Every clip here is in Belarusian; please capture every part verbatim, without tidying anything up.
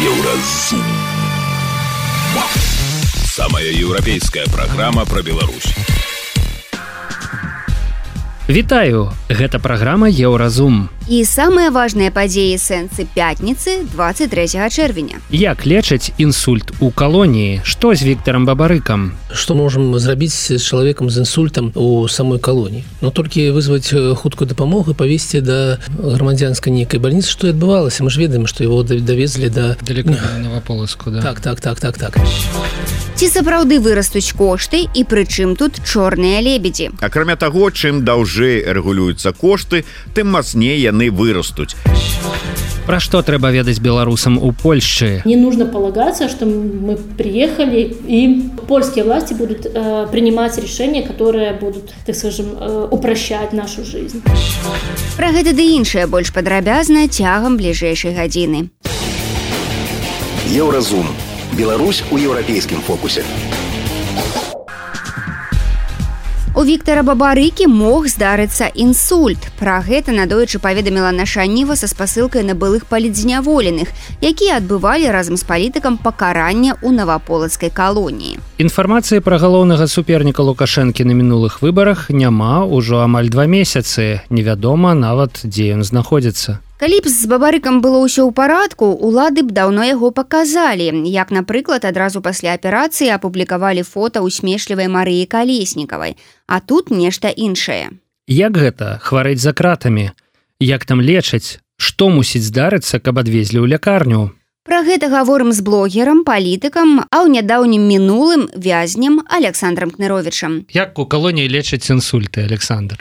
Еўразум. Самая еўрапейская праграма пра Беларусь. Вітаю, гэта праграма Еўразум. І самыя важныя падзеі сэнсы пятніцы двадцать трэцяга чэрвеня. Як лечыць інсульт у калоніі? Што з Віктарам Бабарыкам? Што можам зрабіць з чалавекам з інсультам у самой калоніі? Ну, толькі вызваць хуткую дапамогу і павесці да грамадзянскай нейкай бальніцы. Што адбывалася? Мы ж ведаем, што яго давезлі да... Далеко да Новаполацку, да? Так, так, так, так, так. Ці сапраўды вырастуць кошты і пры чым тут чорныя лебедзі? Акрамя таго, чым даўжэй рэгулююцца кошты, тым мацней яны вырастуць. Пра што трэба ведаць беларусам у Польшчы? Не нужно полагаться, что мы приехали и польские власти будут э, принимать решения, которые будут, так скажем, э, упрощать нашу жизнь. Пра гэта ды іншае больш падрабязна цягам бліжэйшай гадзіны. Еўразум. Беларусь у еўрапейскім фокусе. У Віктара Бабарыкі мог здарыцца інсульт. Пра гэта надоечы паведаміла наша Ніва са спасылкай на былых палітзняволеных, якія адбывалі разам з палітыкам пакарання ў Новаполацкай калоніі. Інфармацыі пра галоўнага суперніка Лукашэнкі на мінулых выбарах няма ўжо амаль два месяцы. Невядома нават, дзе ён знаходзіцца. Калі б з Бабарыкам было ўсё ў парадку, улады б даўно яго паказалі. Як, напрыклад, адразу пасля аперацыі апублікавалі фота усмешлівай Марыі Калеснікавай. А тут нешта іншае. Як гэта? Хварэць за кратамі? Як там лечаць? Што мусіць здарыцца, каб адвезлі ў лякарню? Пра гэта гаворым з блогерам, палітыкам, а ў нядаўнім мінулым вязнем Александром Кныровічам. Як у калоніі лечаць інсульты, Александр?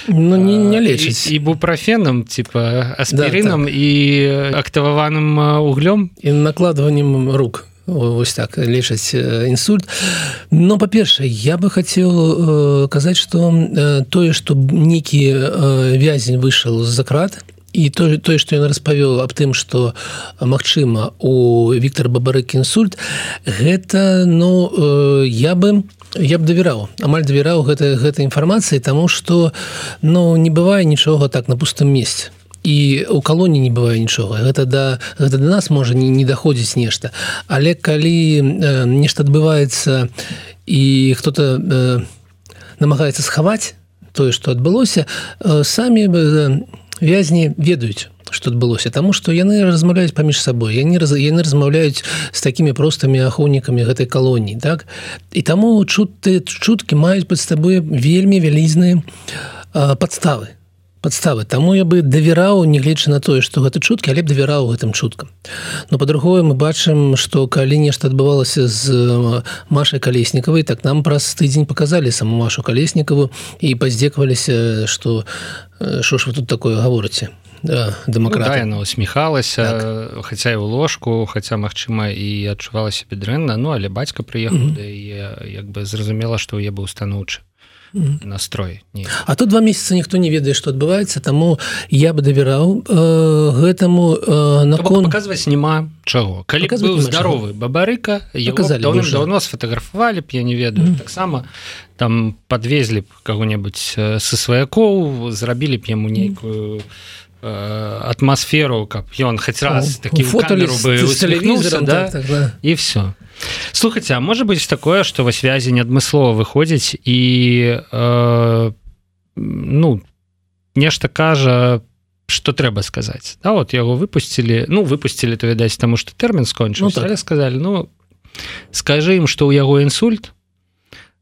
Ну, не, не лечаць. І, і бупрофенам, типа аспірынам, да, так. І актываваным углем? І накладваннем рук. Вось так, лечаць інсульт. Но, па-першае, я бы хацеў э, казаць, што э, тое, што нейкі э, вязень выйшаў з-за крат, і тое, тое, што ён распавёў аб тым, што, магчыма, у Віктара Бабарыкі інсульт, гэта, ну, э, я бы... Я б давяраў, амаль давяраў гэтай гэта інфармацыі, таму што, ну, не бывае нічога так на пустым месцы. І ў калоніі не бывае нічога. Гэта да, гэта да нас можа не, не даходзіць нешта. Але калі э, нешта адбываецца і хто-то э, намагаецца схаваць тое, што адбылося, э, самі э, вязні ведаюць, што адбылося, таму што яны размаўляюць паміж сабой, яны, яны размаўляюць з такімі простымі ахоўнікамі гэтай калоніі, так? І таму чуткі, чуткі маюць пад сабой вельмі вялізныя э, падставы. Падставы. Таму я бы давяраў, нягледзячы на тое, што гэта чуткі, але б давяраў гэтым чуткам. Но па-другое, мы бачым, што калі нешта адбывалася з Машай Калеснікавай, так нам праз тыдзень паказалі саму Машу Калеснікаву і паздзекаваліся, што што ж вы тут такое гаворыце? Да, дэмакраты. Ну, да, яна усміхалася, так. Хаця і ў ложку, хаця, магчыма, і адчувала сябе дрэнна, ну, але бацька прыехаў, mm-hmm. да і як бы зразумела, што ў яе быў станоўчы настрой. Не. А тут два месяца ніхто не ведае, што адбываецца, таму я бы давяраў э, гэтаму э, након... Паказваць няма чаго. Калі б быў здаровы Бабарыка, яго даўным-даўно сфатаграфавалі б, я не ведаю. Mm. Таксама там падвезлі б каго-небудзь са сваякоў, зрабілі б яму нейкую атмасферу, каб ён хоць раз такі ў камеру бы усміхнуўся, да? Так, так, да. І все. Слухайце, а можа быць такое, што вось вязень адмыслова выходзіць і э, ну, нешта кажа, што трэба сказаць. Да, вот яго выпусцілі, ну, выпусцілі, то, відаць, таму што тэрмін скончыўся, ну, так. Але сказалі, ну, скажы ім, што ў яго інсульт,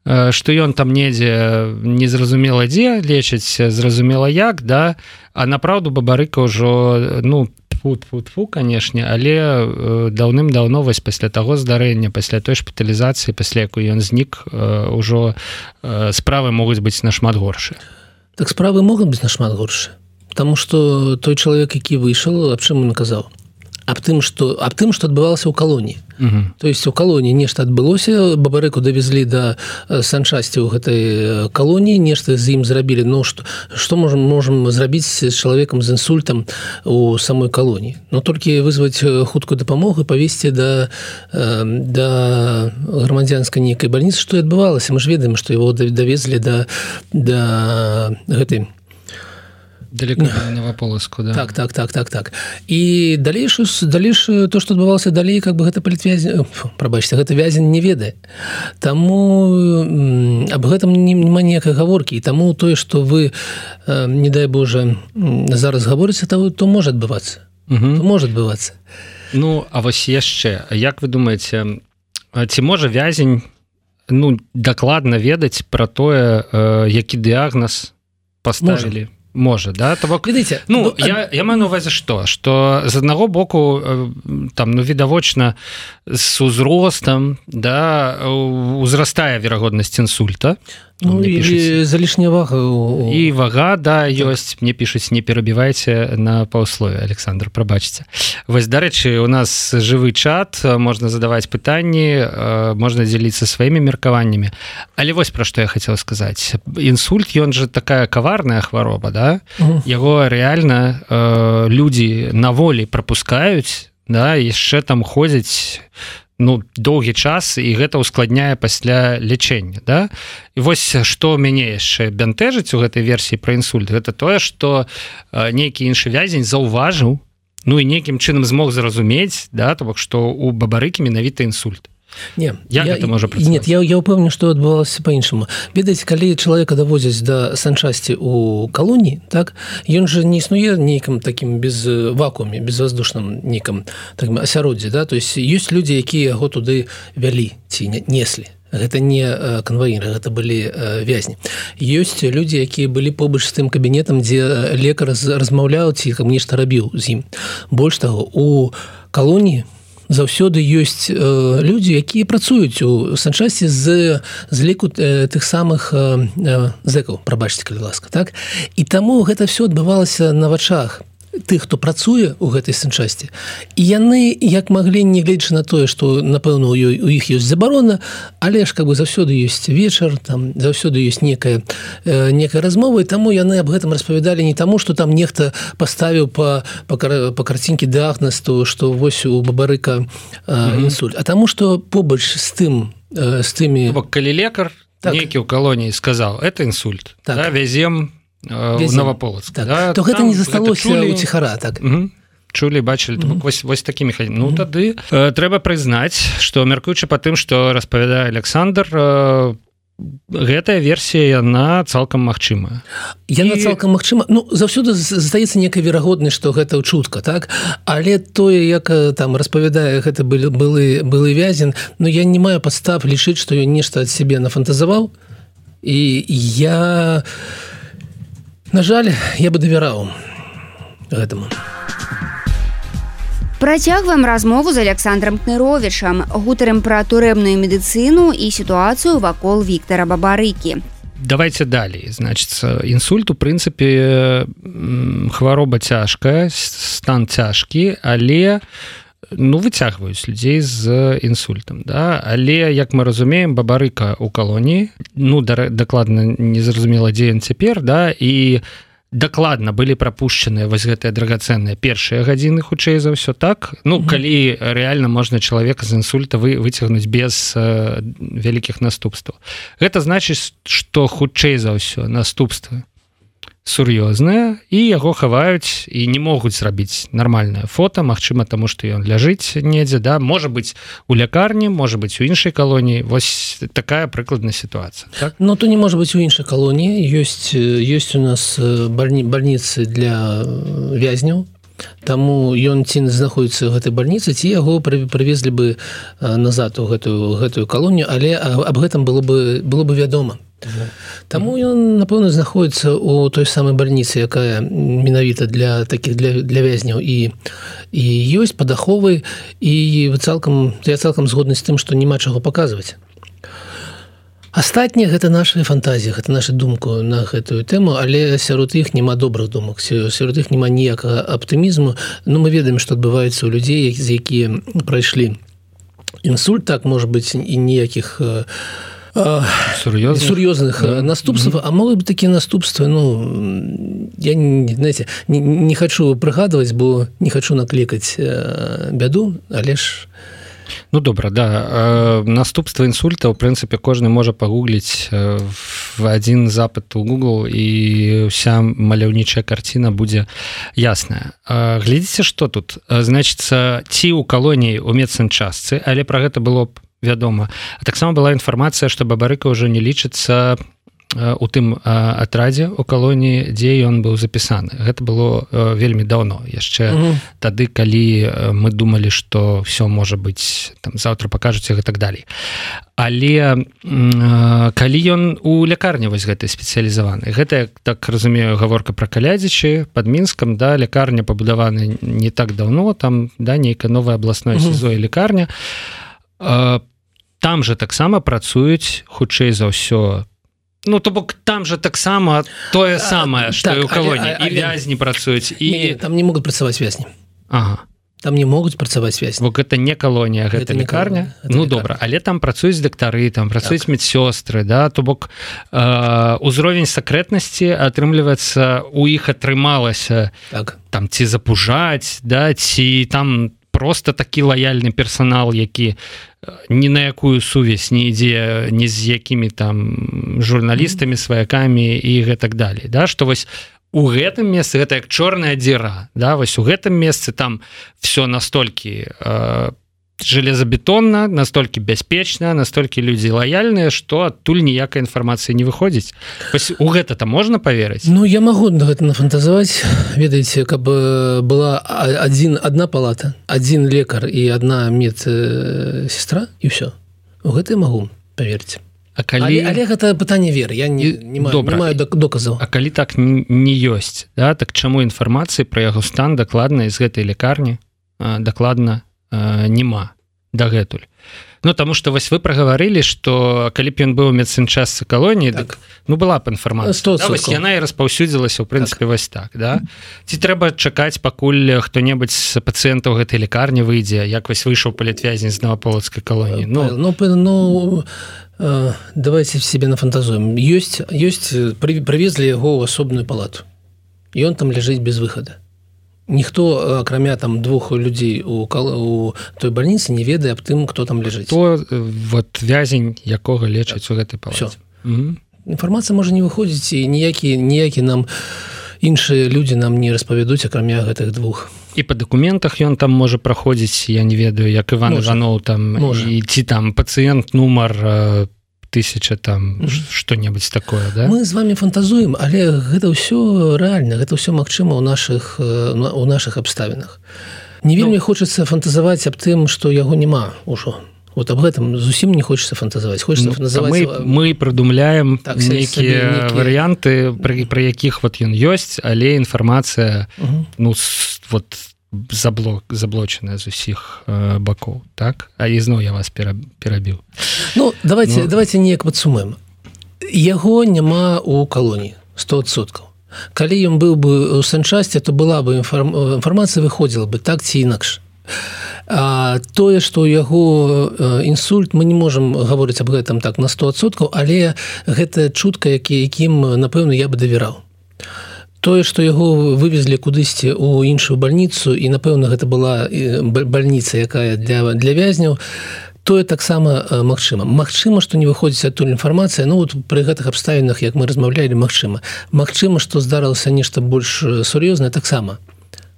што ён там недзе незразумела дзе лечыць, зразумела як, да, а направду Бабарыка ўжо, ну, тфу-тфу-тфу, канешне, але даўным-даўно вось пасля таго здарэння, пасля той шпіталізацыі, пасля якой ён знік, ўжо справы могуць быць нашмат горшыя. Так справы могуць быць нашмат горшыя, таму што той чалавек, які выйшаў, аб чым ён казаў? Аб тым, што, аб тым, што адбывалася ў калоніі. Uh-huh. То есть у калоніі нешта адбылося, Бабарыку давезлі да санчасці ў гэтай калоніі, нешта з ім зрабілі. Ну, што, што можам, можам зрабіць з чалавекам з інсультам у самой калоніі? Ну, толькі вызваць хуткую дапамогу і павесці да, да грамадзянскай нейкай бальніцы. Што і адбывалася? Мы ж ведаем, што яго давезлі да, да гэтай далеко Новополоцку, да. Так, так, так, так, так. І далейшую, далейшую то, што адбывалася далей, как бы гэта палітвязень, прабачце, гэта вязень не ведае. Таму аб гэтым няма ніякай гаворкі. І таму тое, што вы, не дай Божа, зараз гаворыце, то, то можа адбывацца. Угу. То можа адбывацца. Ну, а вось яшчэ, як вы думаеце, ці можа вязень, ну, дакладна ведаць пра тое, які дыягназ паставілі? Можа, да? То бок, Видите, ну, ну, я, я маю на увазе што? Што з аднаго боку, там, ну, відавочна, з узростам, да, узрастае верагоднасць інсульта. Ну, і залішняя вага. І вага, да, ёсць. Мне пішуць, не перабівайце на паўслове, Александр, прабачце. Вось, дарэчы, у нас жывы чат, можна задаваць пытанні, можна дзеліцца сваімі меркаваннямі. Але вось пра што я хацеў сказаць. Інсульт, ён жа такая каварная хвароба, да? Угу. Яго рэальна э, людзі на волі прапускаюць, да, яшчэ там ходзяць, ну, доўгі час, і гэта ускладняе пасля лячэння, да? І вось што мяне яшчэ бянтэжыць у гэтай версіі пра інсульт, гэта тое, што нейкі іншы вязень заўважыў, ну і нейкім чынам змог зразумець, да, то бок, што у Бабарыкі менавіта інсульт. Не, як я, гэта можа працаваць? Нет, я, я ўпэўнены, што адбывалася па-іншаму. Ведаеце, калі чалавека давозяць да санчасці ў калоніі, так, ён жа не існуе нейкім такім без вакууме, безваздушным нейкім такім асяроддзі, да? То есть ёсць людзі, якія яго туды вялі ці неслі. Гэта не канваіры, гэта былі вязні. Ёсць людзі, якія былі побач з тым кабінетам, дзе лекар размаўляў ці нешта рабіў з ім. Больш таго, у калоніі заўсёды ёсць э, людзі, якія працуюць у санчасці з, з ліку э, тых самых э, зэкаў, прабачце, калі ласка, так? І таму гэта все адбывалася на вачах тых, хто працуе ў гэтай санчасці. І яны, як маглі, не гледзячы на тое, што, напэўна, у, у іх ёсць забарона, але ж, как бы, заўсёды ёсць вечар, там, заўсёды ёсць некая, э, некая размова, і таму яны аб гэтым распавядалі не таму, што там нехта паставіў па, па, па карцінкі дыягназ, то, што вось у Бабарыка э, mm-hmm. інсульт, а таму, што побач з тым, э, з тымі... Бок, калі лекар, так, нейкі ў калоніі сказаў, это інсульт, так, да, вязем в Новополоцк, так, да, то гэта не засталося у ціхара, так. Угу. Чулі, бачылі, mm-hmm. вось, вось такі механізм. Ну, тады э, трэба прызнаць, што, мяркуючы па тым, што распавядае Александр, э, гэтая версія, яна цалкам магчымая. Яна І... цалкам магчыма. Ну, заўсёды застаецца некая верагоднасць, што гэта чутка, так? Але тое, як там распавядае гэта былы, былы, былы вязень, ну, я не маю падстав лічыць, што ён нешта ад сябе нафантазаваў. І я... На жаль, я бы давяраў гэтаму. Працягваем размову з Александром Кныровічам. Гутарым пра турэбную медыцыну і сітуацыю вакол Віктара Бабарыкі. Давайте далей. Значит, інсульт, у прынцыпе, хвароба цяжкая, стан цяжкі, але ну, выцягваюць людзей з інсультам. Да? Але, як мы разумеем, Бабарыка ў калоніі, ну, дакладна незразумела, дзе ён цяпер, да? І дакладна былі прапушчаныя вось гэтыя драгацэнныя першыя гадзіны, хутчэй за ўсё, так? Ну, mm-hmm. калі рэальна можна чалавека з інсульта вы, выцягнуць без э, вялікіх наступстваў. Гэта значыць, што хутчэй за ўсё наступствы сур'ёзныя, і яго хаваюць і не могуць зрабіць нармальнае фота, магчыма, таму што ён ляжыць недзе, да, можа быць у лякарні, можа быць у іншай калоніі. Вось такая прыкладная сітуацыя, так? Ну, то не можа быць у іншай калоніі. Ёсць, ёсць у нас бальні, бальніцы для вязняў, таму ён ці знаходіцца ў гэтай бальніцы, ці яго прывезлі бы назад у гэтую, гэтую калонію, але аб гэтым было бы, было бы вядома. Таму ён, напэўна, знаходіцца ў той самай бальніцы, якая менавіта для такіх для, для вязняў, і, і ёсць падаховы, і цалкам, я цалкам згодны з тым, што няма чаго паказваць. Астатняе гэта наша фантазія, гэта наша думка на гэтую тэму, але сярод іх няма добрых думак, сярод іх няма ніякага аптымізму. Ну, мы ведаем, што адбываецца ў людзей, з якія прайшлі інсульт, так, можа быць, і ніякіх сур'ёзных, сур'ёзных да. наступстваў, mm-hmm. а могуць быць такія наступствы, ну, я, знаете, не, не хачу прыгадваць, бо не хачу наклікаць бяду, але ж... Ну, добра, да. Наступства інсульта, ў прынцыпе, кожны можа пагугліць в в один запыт у Google, і вся маляўнічая карціна будзе ясная. Глядзіце, што тут? Значыцца, ці ў калоніі ў медсанчастцы, але пра гэта было б вядома. А таксама была інфармацыя, што Бабарыка ўжо не лічыцца у тым атрадзе у калоніі, дзе ён быў запісаны. Гэта было вельмі даўно, яшчэ угу. тады, калі мы думалі, што все можа быць, там, заўтра пакажуць і так далей. Але калі ён у лякарні вось гэтай спецыялізаваны, гэта, так разумею, гаворка пра Калядзічы пад Мінскам, да, лякарня пабудавана не так даўно, там, да, нейкая новая абласная угу. СІЗО і лякарня. Там жа таксама працуюць, хутчэй за ўсё, ну, то бок там же таксама тое самае, што так, і ў калоніі, і вязні працуюць. І... Не, не, там не могуць працаваць вязні. Ага. Там не могуць працаваць вязні. Бо гэта не калонія, гэта, гэта лікарня. Гэта ну, лікарня. Добра, але там працуюць дактары, там працуюць так. медсёстры, да, то бок э, узровень сакрэтнасці, атрымліваецца, у іх атрымалася так. там ці запужаць, да, ці там просто такі лаяльны персанал, які ні на якую сувязь не ідзе ні з якімі там журналістамі, сваякамі і гэтак далей, да, што вось у гэтым месцы гэта як чорная дзіра, да, вось у гэтым месцы там все настолькі э, железабетонна, настолькі бяспечна, настолькі людзі лаяльныя, што адтуль ніякай інфармацыі не выходзіць. Вось у гэта-то можна паверыць? Ну, я магу гэта нафантазаваць. Ведаеце, каб была адзін, адна палата, адзін лекар і адна медсестра, і ўсё. У гэта я магу паверыць. А калі... але, але гэта пытанне веры, я не, не, маю, не маю доказаў. А калі так не ёсць, да, так чаму інфармацыі пра яго стан дакладна з гэтай лекарні дакладна няма дагэтуль? Ну, таму што вось вы прагаварылі, што калі б ён быў у медсанчастцы калоніі, так. дык, ну, была б інфармацыя. Да, вось яна і распаўсюдзілася, ў прынцыпе, так. вось так, да? Ці трэба чакаць, пакуль хто-небудзь з пацыентаў гэтай лікарні выйдзе, як вось выйшаў палітвязень з Новаполацкай калоніі? Ну, ну, ну э, давайте себе нафантазуем. Ёсць, ёсць, прывезлі яго ў асобную палату. І ён там ляжыць без выхада. Ніхто, акрамя там двух людзей у, у той бальніцы, не ведае аб тым, хто там ляжыць. То вот вязень, якога лечаць так. у гэтай палаце. Угу. Інфармацыя можа не выходзіць, і ніякі, ніякі нам іншыя людзі нам не распавядуць, акрамя гэтых двух. І па дакументах ён там можа праходзіць, я не ведаю, як Іван можа. Іванов там, можа. І ці там пацыент нумар тысяча там што-небудзь такое, да? Мы з вами фантазуем, але гэта ўсё рэальна, гэта ўсё магчыма ў нашых, у нашых абставінах. Не вельмі ну, хочацца фантазаваць аб тым, што яго няма ўжо. Вот аб гэтым зусім не хочацца фантазаваць. Хочацца ну, фантазаваць... Мы, мы прыдумляем так, нейкія варыянты, пры, пры якіх вот ён ёсць, але інфармацыя угу. ну, вот заблок, заблочаная з усіх э, бакоў, так? А ізноў я вас перабіў. Ну, давайте, ну, давайте неяк падсумуем. Яго няма ў калоніі, сто адсоткаў. Калі ён быў бы ў санчасці, то была бы інфарм... інфармацыя выходзіла бы так ці інакш. А тое, што ў яго інсульт, мы не можам гаворыць аб гэтым так на сто адсоткаў, але гэта чутка, які, якім, напэўна, я бы давяраў. Тое, што яго вывезлі кудысьці ў іншую бальніцу, і, напэўна, гэта была бальніца, якая для, для вязняў, тое таксама магчыма. Магчыма, што не выходзіць адтуль інфармацыя, ну, вот пры гэтых абставінах, як мы размаўлялі, магчыма. Магчыма, што здарылася нешта больш сур'ёзнае, таксама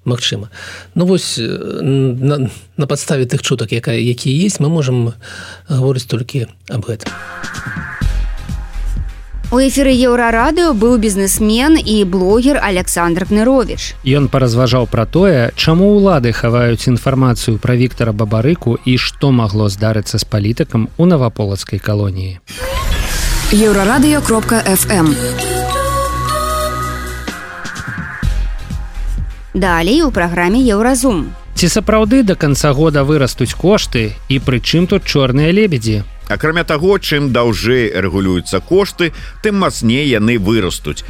магчыма. Ну, вось, на, на падставе тых чутак, якія ёсць, мы можам гаворыць толькі аб гэтым. У эфіры Еўрарадыё быў бізнесмен і блогер Александр Кныровіч. Ён паразважаў пра тое, чаму ўлады хаваюць інфармацыю пра Віктара Бабарыку і што магло здарыцца з палітыкам у Новаполацкай калоніі. еўрарадыё кропка эф эм. Далей у праграме Еўразум. Ці сапраўды да канца года вырастуць кошты і пры чым тут чорныя лебедзі? Акрамя таго, чым даўжэй рэгулююцца кошты, тым мацней яны вырастуць.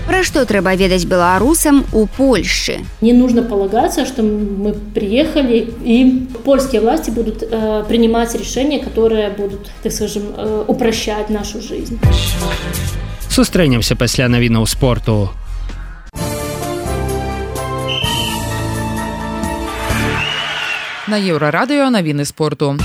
Пра што трэба ведаць беларусам у Польшчы? Не нужно полагаться, что мы приехали, и польские власти будут э, принимать решения, которые будут, так скажем, э, упрощать нашу жизнь. Сустрэнемся пасля навінаў спорту. На Еўрарадыё навіны спорту.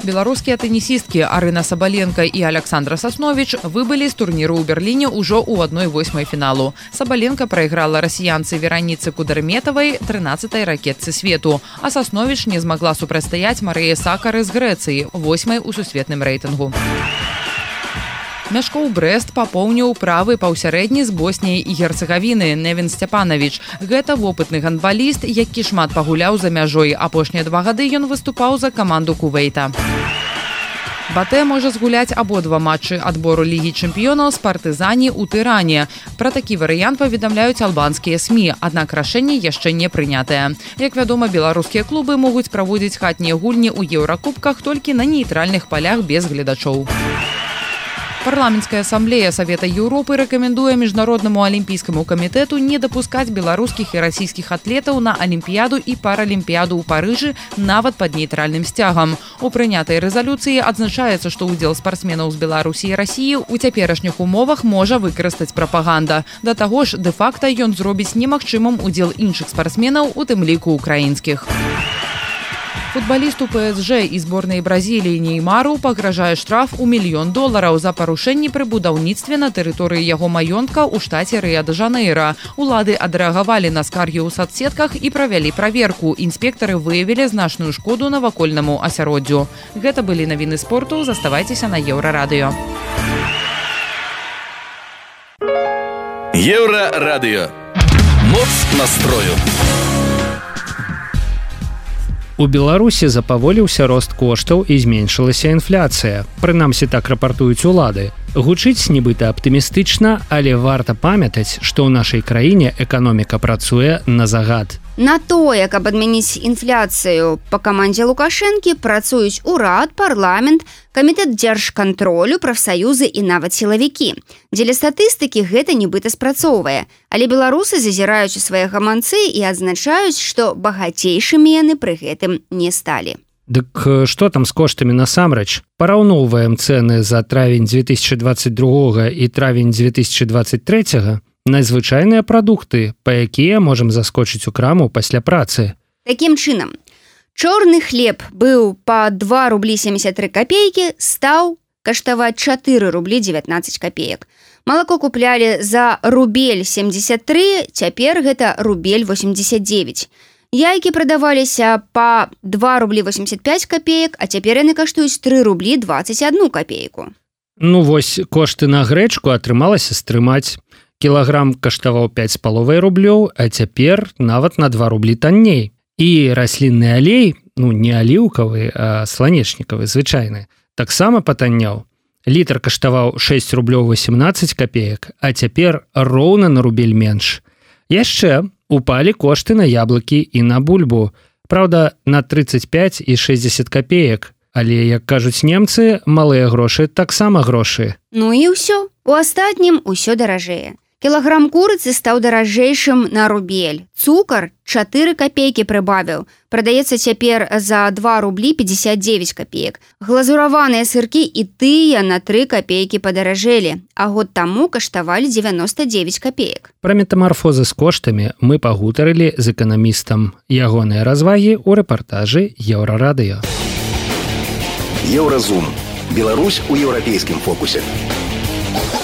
Беларускія тэнісісткі Арына Сабаленка і Александра Сасновіч выбылі з турніру ў Берліне ўжо ў адной восьмай фіналу. Сабаленка прайграла расіянцы Вераніцы Кударметавай, трынаццатай ракетцы свету, а Сасновіч не змагла супрацьстаяць Марыі Сакары з Грэцыі, восьмай у сусветным рэйтынгу. Мяшкоў Брэст папоўніў правы паўсярэдні з Босніяй і Герцегавіны Невін Сцяпанавіч. Гэта вопытны гандбаліст, які шмат пагуляў за мяжой. Апошнія два гады ён выступаў за каманду Кувейта. Батэ можа згуляць абодва матчы адбору Лігі чэмпіёнаў з партызані ў Тыране. Пра такі варыянт паведамляюць албанскія СМІ, аднак рашэнне яшчэ не прынятае. Як вядома, беларускія клубы могуць праводзіць хатнія гульні ў еўракубках толькі на нейтральных палях без гледачоў. Парламенцкая асамблея Савета Еўропы рэкамендуе міжнароднаму алімпійскаму камітэту не дапускаць беларускіх і расійскіх атлетаў на алімпіяду і паралімпіяду ў Парыжы нават пад нейтральным сцягам. У прынятай рэзалюцыі адзначаецца, што ўдзел спартсменаў з Беларусі і Расіі ў цяперашніх умовах можа выкарыстаць прапаганда. Да таго ж, дэ-факта ён зробіць немагчымым удзел іншых спартсменаў, у тым ліку украінскіх. Футбалісту ПСЖ і зборнай Бразіліі Неймару пагражае штраф у мільён долараў за парушэнні пры будаўніцтве на тэрыторыі яго маёнтка ў штаце Рыа-дэ-Жанэйра. Улады адрэагавалі на скаргі ў сацсетках і правялі праверку. Інспектары выявілі значную шкоду навакольнаму асяроддзю. Гэта былі навіны спорту. Заставайцеся на Еўрарадыё. Еўрарадыё. Моц настрою. У Беларусі запаволіўся рост коштаў і зменшылася інфляцыя. Прынамсі, так рапартуюць улады. Гучыць нібыта аптымістычна, але варта памятаць, што ў нашай краіне эканоміка працуе на загад. На тое, каб адмяніць інфляцыю па камандзе Лукашэнкі, працуюць урад, парламент, камітэт дзяржкантролю, прафсаюзы і нават сілавікі. Дзеля статыстыкі гэта нібыта спрацоўвае. Але беларусы зазіраюць у свае гаманцы і адзначаюць, што багацейшымі яны пры гэтым не сталі. Дык што там з коштамі насамрэч? Параўноўваем цэны за травень дзве тысячы дваццаць другога і травень дзве тысячы дваццаць трэцяга на звычайныя прадукты, па якія можам заскочыць у краму пасля працы. Такім чынам, чорны хлеб быў па два рублі семьдесят тры копейкі, стаў каштаваць чатыры рублі дзевятнаццаць копеек. Малако куплялі за рубель семьдесят тры, цяпер гэта рубель восемьдесят девять. Яйкі прадаваліся па два рублі восемьдесят пять копеек, а цяпер яны каштуюць тры рублі двадцать одну копейку. Ну вось, кошты на грэчку атрымалася стрымаць. Кілаграм каштаваў пяць з паловай рублёў, а цяпер нават на два рублі танней. І раслінны алей, ну не аліўкавы, а сланечнікавы, звычайны, таксама патанняў. Літр каштаваў шэсць рублёў восемнаццаць копеек, а цяпер роўна на рубель менш. Яшчэ упалі кошты на яблыкі і на бульбу. Праўда, на тридцать пять і шэсцьдзесят копеек. Але, як кажуць немцы, малыя грошы таксама грошы. Ну і ўсё. У астатнім усё даражэе. Кілаграм курыцы стаў даражэйшым на рубель. Цукар чатыры копейкі прыбавіў. Прадаецца цяпер за два рублі пятьдесят девять копеек. Глазураваныя сыркі і тыя на тры копейкі падаражэлі, а год таму каштавалі девяносто девять копеек. Пра метамарфозы з коштамі мы пагутарылі з эканамістам. Ягоныя развагі ў рэпартажы Еўрарадыё. Еўразум. Беларусь у еўрапейскім фокусе.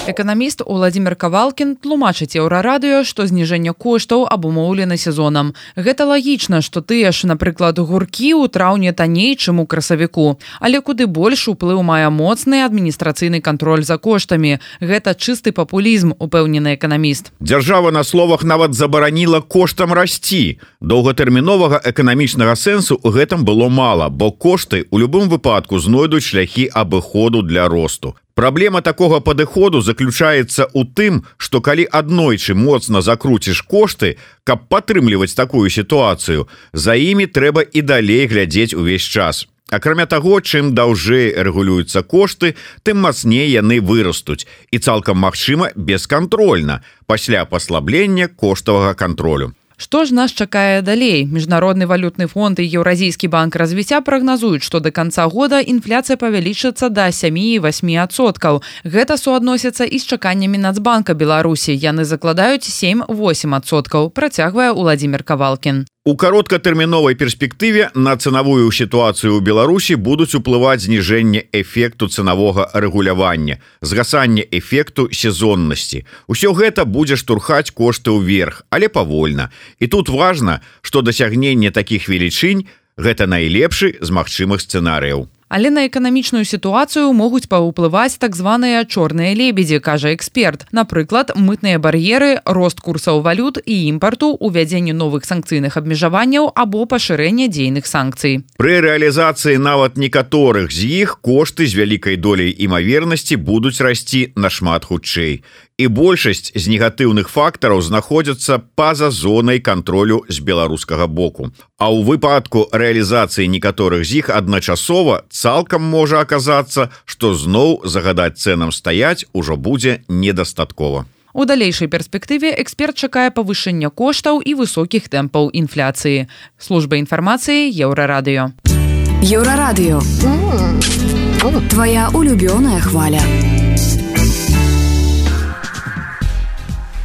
Эканаміст Уладзімір Кавалкін тлумачыць Еўрарадыё, што зніжэнне коштаў абумоўлена сезонам. Гэта лагічна, што тыя ж, напрыклад, гуркі ў траўні танней, чым у красавіку. Але куды больш уплыў мае моцны адміністрацыйны кантроль за коштамі. Гэта чысты папулізм, упэўнены эканаміст. Дзяржава на словах нават забараніла коштам расці. Доўгатэрміновага эканамічнага сэнсу ў гэтым было мала, бо кошты ў любым выпадку знойдуць шляхі абыходу для росту. Праблема такога падыходу заключаецца ў тым, што калі аднойчы моцна закруціш кошты, каб падтрымліваць такую сітуацыю, за імі трэба і далей глядзець увесь час. Акрамя таго, чым даўжэй рэгулююцца кошты, тым мацней яны вырастуць і цалкам магчыма бескантрольна пасля паслаблення коштавага кантролю. Што ж нас чакае далей? Міжнародны валютны фонд і Еўразійскі банк развіцця прагназуюць, што да канца года інфляцыя павялічыцца да сем і восемь адсоткаў. Гэта суадносіцца і з чаканнямі Нацбанка Беларусі. Яны закладаюць сем восемь адсоткаў, працягвае Уладзімір Кавалкін. У кароткатэрміновай перспектыве на цэнавую сітуацыю ў Беларусі будуць уплываць зніжэнне эфекту цэнавога рэгулявання, згасанне эфекту сезоннасці. Усё гэта будзе штурхаць кошты ўверх, але павольна. І тут важна, што дасягненне такіх велічынь гэта найлепшы з магчымых сцэнарыяў. Але на эканамічную сітуацыю могуць паўплываць так званыя чорныя лебедзі, кажа эксперт. Напрыклад, мытныя бар'еры, рост курсаў валют і імпарту, увядзенне новых санкцыйных абмежаванняў або пашырэнне дзейных санкцый. Пры рэалізацыі нават некаторых з іх кошты з вялікай доляй імавернасці будуць расці нашмат хутчэй. І большасць з негатыўных фактараў знаходзяцца па-за зонай кантролю з беларускага боку. А ў выпадку рэалізацыі некаторых з іх адначасова цалкам можа аказацца, што зноў загадаць цэнам стаяць ужо будзе недастаткова. У далейшай перспектыве эксперт чакае павышэння коштаў і высокіх тэмпаў інфляцыі. Служба інфармацыі Еўрарадыё. Еўрарадыё. Твоя улюбёная хваля.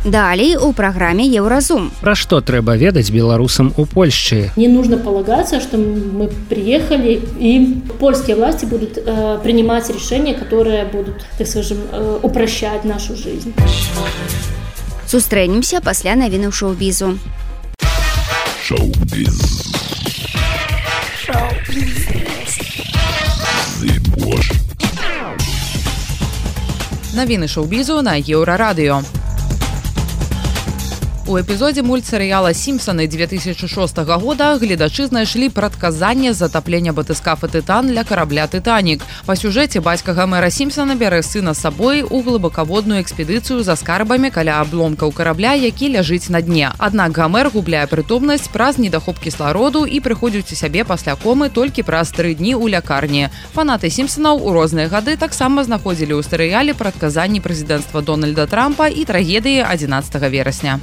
Далей у праграме Еўразум. Пра што трэба ведаць беларусам у Польшчы? Не нужно полагаться, что мы приехали, и польские власти будут э, принимать решения, которые будут, так скажем, э, упрощать нашу жизнь. Сустрэнемся пасля навінаў шоу-бізу. Шоу-біз. Навіны шоу-бізу на Еўрарадыё. У эпізодзе мультсерыяла «Сімпсаны» две тысячи шостага года гледачы знайшлі прадказанне затаплення батыскафа «Тытан» для карабля «Тытанік». Па сюжэце бацька Гомера Сімпсана бярэ сына з сабой у глыбакаводную экспедыцыю за скарбамі каля абломкаў карабля, які ляжыць на дне. Аднак Гомер губляе прытомнасць праз недахоп кіслароду і прыходзіць у сябе пасля комы толькі праз тры дні ў лякарні. Фанаты «Сімпсанаў» у розныя гады таксама знаходзілі ў серыяле прадказанні прэзідэнцтва Дональда Трампа і трагедыі адзінаццатага верасня.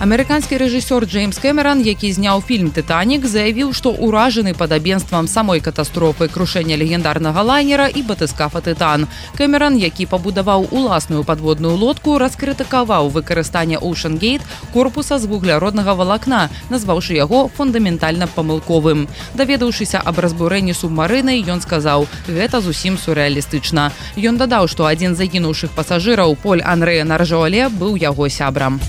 Амерыканскі рэжысёр Джеймс Кэмеран, які зняў фільм «Тытанік», заявіў, што ўражаны падабенствам самой катастрофы крушэння легендарнага лайнера і батыскафа «Тытан». Кэмеран, які пабудаваў уласную падводную лодку, раскрытыкаваў выкарыстанне Ocean Gate корпуса з вугляроднага валакна, назваўшы яго фундаментальна памылковым. Даведаўшыся аб разбурэнні субмарыны, ён сказаў: «Гэта зусім сюррэалістычна». Ён дадаў, што адзін з загінуўшых пасажыраў, Поль Анрэ Наржоле, быў яго сябрам.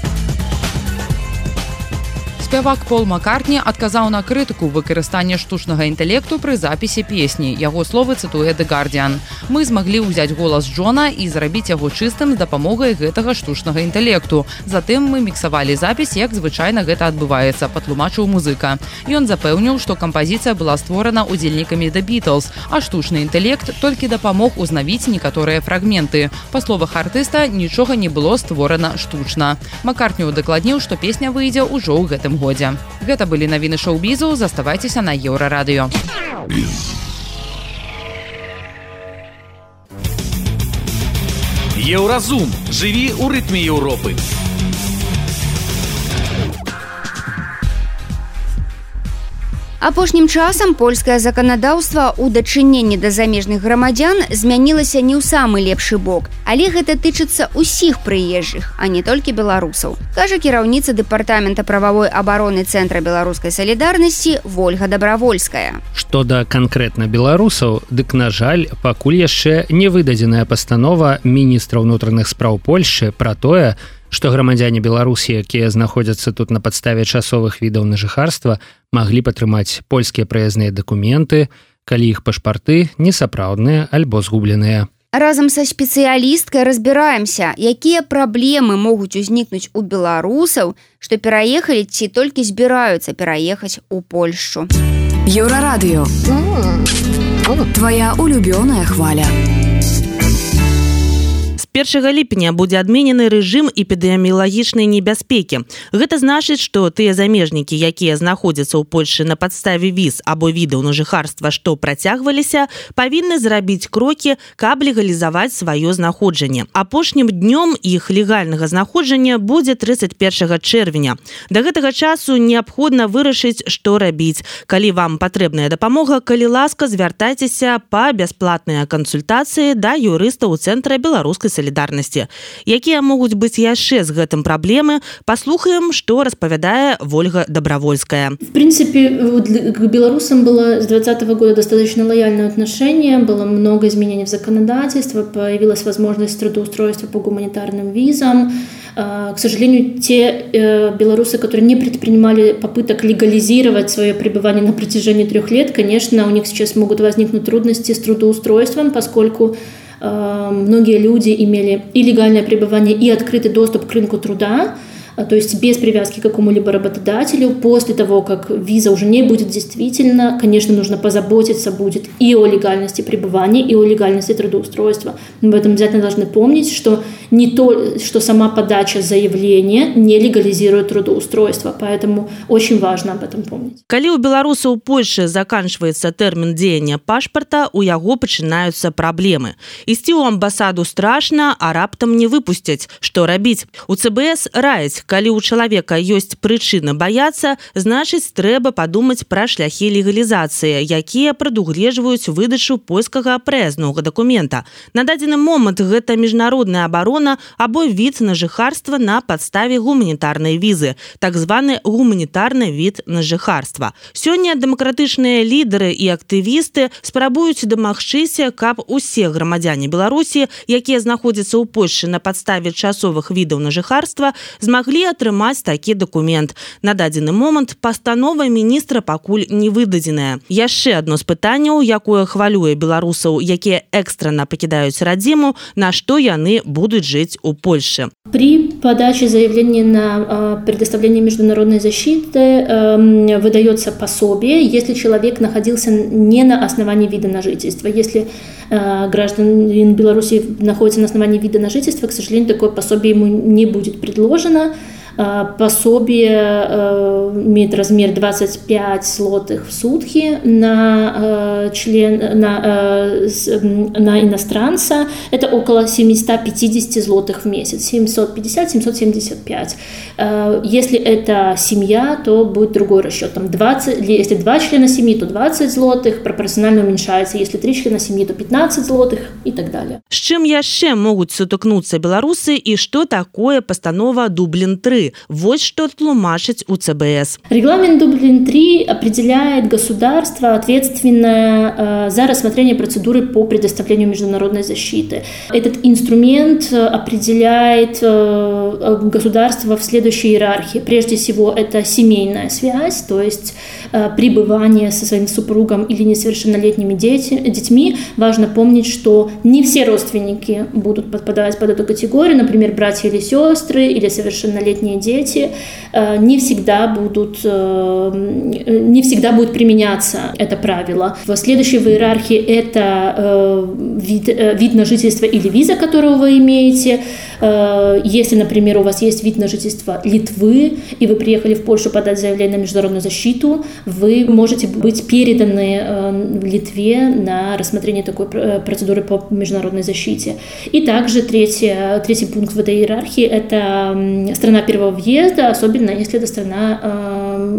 Спявак Пол Маккартні адказаў на крытыку выкарыстання штучнага інтэлекту пры запісе песні. Яго словы цытуе The Guardian. «Мы змаглі ўзяць голас Джона і зрабіць яго чыстым з дапамогай гэтага штучнага інтэлекту. Затым мы міксавалі запіс, як звычайна гэта адбываецца», патлумачыў музыка. Ён запэўніў, што кампазіцыя была створана удзельнікамі The Beatles, а штучны інтэлект толькі дапамог узнавіць некаторыя фрагменты. Па словах артыста, нічога не было створана штучна. Маккартні дакладніў, што песня выйдзе ўжо ў гэтым годзе. Гэта былі навіны шоу-бізу, заставайцеся на Еўрарадыё. Еўразум. Жыві ў рытме Еўропы. Апошнім часам польскае заканадаўства ў дачыненні да замежных грамадзян змянілася не ў самы лепшы бок, але гэта тычыцца ўсіх прыезджых, а не толькі беларусаў, кажа кіраўніца дэпартамента прававой абароны Цэнтра беларускай салідарнасці Вольга Дабравольская. Што да канкрэтна беларусаў, дык, на жаль, пакуль яшчэ не выдадзеная пастанова міністра ўнутраных спраў Польшчы пра тое, што грамадзяне Беларусі, якія знаходзяцца тут на падставе часовых відаў на жыхарства, маглі падтрымаць польскія праязныя дакументы, калі іх пашпарты несапраўдныя альбо згубленыя. Разам са спецыялісткай разбіраемся, якія праблемы могуць узнікнуць у беларусаў, што пераехалі ці толькі збіраюцца пераехаць у Польшчу. Еўрарадыё. Твоя улюбёная хваля. першага ліпеня будзе адменены рэжым эпідэміялагічнай небяспекі. Гэта значыць, што тыя замежнікі, якія знаходзяцца ў Польшчы на падставе віз або відаў на жыхарства, што працягваліся, павінны зрабіць крокі, каб легалізаваць сваё знаходжанне. Апошнім днём іх легальнага знаходжання будзе трыццаць першага чэрвеня. Да гэтага часу неабходна вырашыць, што рабіць. Калі вам патрэбная дапамога, калі ласка, звяртайцеся па бясплатныя кансультацыі да юрыста ў Цэнтра беларускай салідарнасці. салідарнасці. Якія могуць быць яшчэ з гэтым праблемы, паслухаем, што распавядае Вольга Добровольская. В принципе, к белорусам было с двадцатого года достаточно лояльное отношение, было много изменений в законодательстве, появилась возможность трудоустройства по гуманитарным визам. К сожалению, те белорусы, которые не предпринимали попыток легализировать свое пребывание на протяжении трех лет, конечно, у них сейчас могут возникнуть трудности с трудоустройством, поскольку многие люди имели и легальное пребывание, и открытый доступ к рынку труда, то есть без привязки к какому-либо работодателю. После того, как виза уже не будет действительно, конечно, нужно позаботиться будет и о легальности пребывания, и о легальности трудоустройства. Мы об этом обязательно должны помнить, что не то, что сама подача заявления не легализирует трудоустройство, поэтому очень важно об этом помнить. Калі у беларуса ў Польшы заканчивается тэрмін дзеяння пашпарта, у яго пачынаюцца праблемы. Ісці ў амбасаду страшна, а раптам не выпусцяць. Што рабіць? У ЦБС раяць, калі у чалавека ёсць прычына баяцца, значыць, трэба падумаць пра шляхі легалізацыі, якія прадугледжваюць выдачу польскага праязнога дакумента. На дадзены момант гэта міжнародная абарона або від на жыхарства на падставе гуманітарнай візы, так званы гуманітарны від на жыхарства. Сёння дэмакратычныя лідары і актывісты спрабуюць дамагчыся, каб усе грамадзяне Беларусі, якія знаходзяцца ў Польшы на падставе часовых відаў на жыхарства, змаглі атрымаць такі дакумент. На дадзены момант пастанова міністра пакуль не выдадзеная. Яшчэ адно з пытанняў, якое хвалюе беларусаў, якія экстрана пакідаюць радзіму, на што яны будуць жыць у Польшы. При подаче заявления на предоставление международной защиты выдается пособие, если человек находился не на основании вида на жительство. Если гражданин Беларуси находится на основании вида на жительство, к сожалению, такое пособие ему не будет предложено. Пособие имеет размер двадцать пять злотых в сутки на, член, на, на иностранца. Это около семьсот пятьдесят злотых в месяц. семьсот пятьдесят - семьсот семьдесят пять. Если это семья, то будет другой расчет. Там двадцать, если два члена семьи, то двадцать злотых, пропорционально уменьшается. Если три члена семьи, то пятнадцать злотых и так далее. С чем яшчэ могуць сутыкнуцца беларусы и что такое постанова Дублин три? Вот что тлумачыць у ЦБС. Регламент Дублин три определяет государство, ответственное за рассмотрение процедуры по предоставлению международной защиты. Этот инструмент определяет государство в следующей иерархии. Прежде всего, это семейная связь, то есть пребывание со своим супругом или несовершеннолетними детьми. Важно помнить, что не все родственники будут подпадать под эту категорию, например, братья или сестры, или совершеннолетние дети. Не всегда будут, не всегда будет применяться это правило. В следующей в иерархии это вид, вид на жительство или виза, которую вы имеете. Если, например, у вас есть вид на жительство Литвы, и вы приехали в Польшу подать заявление на международную защиту, вы можете быть переданы в Литве на рассмотрение такой процедуры по международной защите. И также третий, третий пункт в этой иерархии – это страна первого въезда, особенно если эта страна,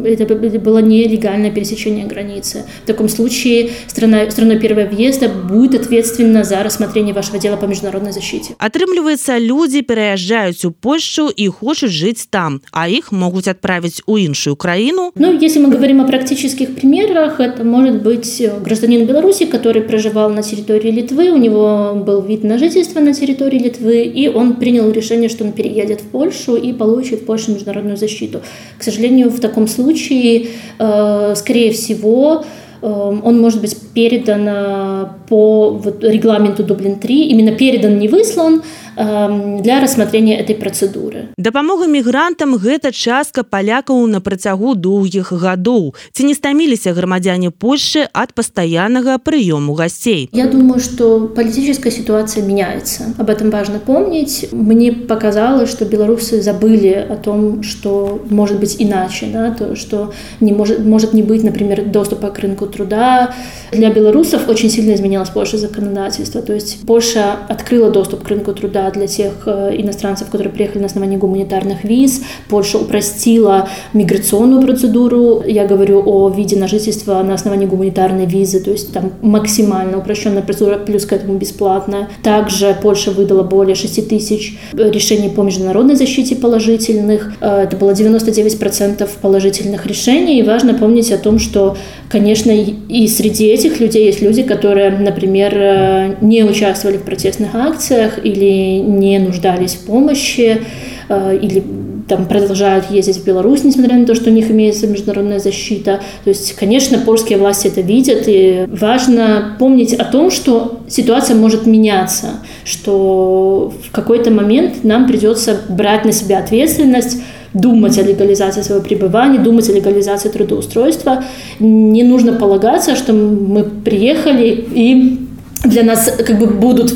это было нелегальное пересечение границы. В таком случае страна, страной первого въезда будет ответственна за рассмотрение вашего дела по международной защите. Атрымліваецца, люди переезжают в Польшу и хотят жить там, а их могут отправить в иншую краину. Ну, если мы говорим о практических примерах, это может быть гражданин Беларуси, который проживал на территории Литвы, у него был вид на жительство на территории Литвы, и он принял решение, что он переедет в Польшу и получит в Польше международную защиту. К сожалению, в таком случае, э, скорее всего, э, он может быть передан по вот, регламенту Дублин три, именно передан, не выслан, для рассмотрения этой процедуры. Дапамога мігрантам гэта частка палякаў на працягу доўгіх гадоў. Ці не стаміліся грамадзяне Польши от постоянного приему гостей? Я думаю, что политическая ситуация меняется. Об этом важно помнить. Мне показалось, что белорусы забыли о том, что может быть иначе, да? То, что не может, может не быть, например, доступа к рынку труда. Для белорусов очень сильно изменилось Польша законодательство. То есть Польша открыла доступ к рынку труда всегда для тех иностранцев, которые приехали на основании гуманитарных виз. Польша упростила миграционную процедуру. Я говорю о виде на жительство на основании гуманитарной визы, то есть там максимально упрощенная процедура, плюс к этому бесплатная. Также Польша выдала более шесть тысяч решений по международной защите положительных. Это было девяносто девять процентов положительных решений. И важно помнить о том, что, конечно, и среди этих людей есть люди, которые, например, не участвовали в протестных акциях или не нуждались в помощи, или там продолжают ездить в Беларусь, несмотря на то, что у них имеется международная защита. То есть, конечно, польские власти это видят, и важно помнить о том, что ситуация может меняться, что в какой-то момент нам придется брать на себя ответственность, думать о легализации своего пребывания, думать о легализации трудоустройства. Не нужно полагаться, что мы приехали и для нас как бы будут,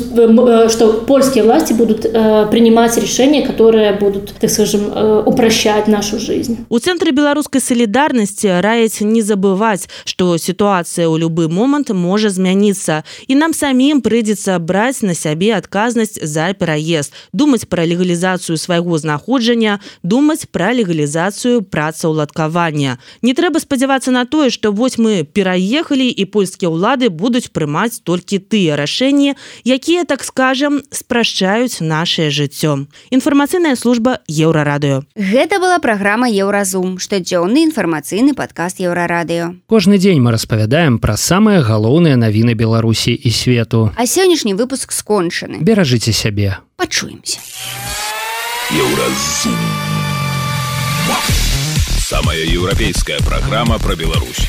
что польские власти будут э, принимать решения, которые будут, так скажем, э, упрощать нашу жизнь. У Центра беларускай солидарности раяць не забывать, что ситуация ў любы момент может змяніцца, и нам самим придется брать на себе отказность за переезд, думать про легализацию своего знаходжання, думать про легализацию працаўладкавання. Не трэба спадзявацца на тое, что вось мы переехали, и польские улады будут прымаць только тыя рашэнні, якія, так скажем, спрашчаюць нашае жыццё. Інфармацыйная служба Еўрарадыё. Гэта была праграма Еўразум, штодзённы інфармацыйны падкаст Еўрарадыё. Кожны дзень мы распавядаем пра самыя галоўныя навіны Беларусі і свету. А сённяшні выпуск скончаны. Беражыце сябе. Пачуемся. Еўразум. Самая еўрапейская праграма пра Беларусь.